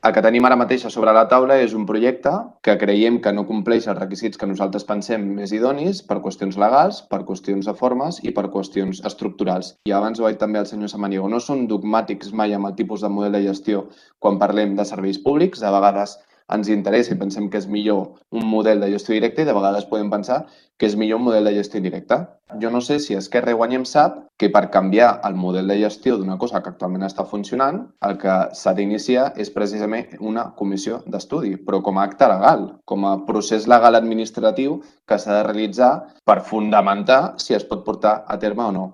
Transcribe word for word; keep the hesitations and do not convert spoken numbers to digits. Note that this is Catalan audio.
El que tenim ara mateix a sobre la taula és un projecte que creiem que no compleix els requisits que nosaltres pensem més idonis per qüestions legals, per qüestions de formes i per qüestions estructurals. I abans ho ha dit també el senyor Samaniego, no són dogmàtics mai amb el tipus de model de gestió quan parlem de serveis públics. De vegades ens interessa i pensem que és millor un model de gestió directa i de vegades podem pensar que és millor un model de gestió indirecta. Jo no sé si Esquerra i Guanyem sap que per canviar el model de gestió d'una cosa que actualment està funcionant, el que s'ha d'iniciar és precisament una comissió d'estudi, però com a acte legal, com a procés legal administratiu que s'ha de realitzar per fundamentar si es pot portar a terme o no.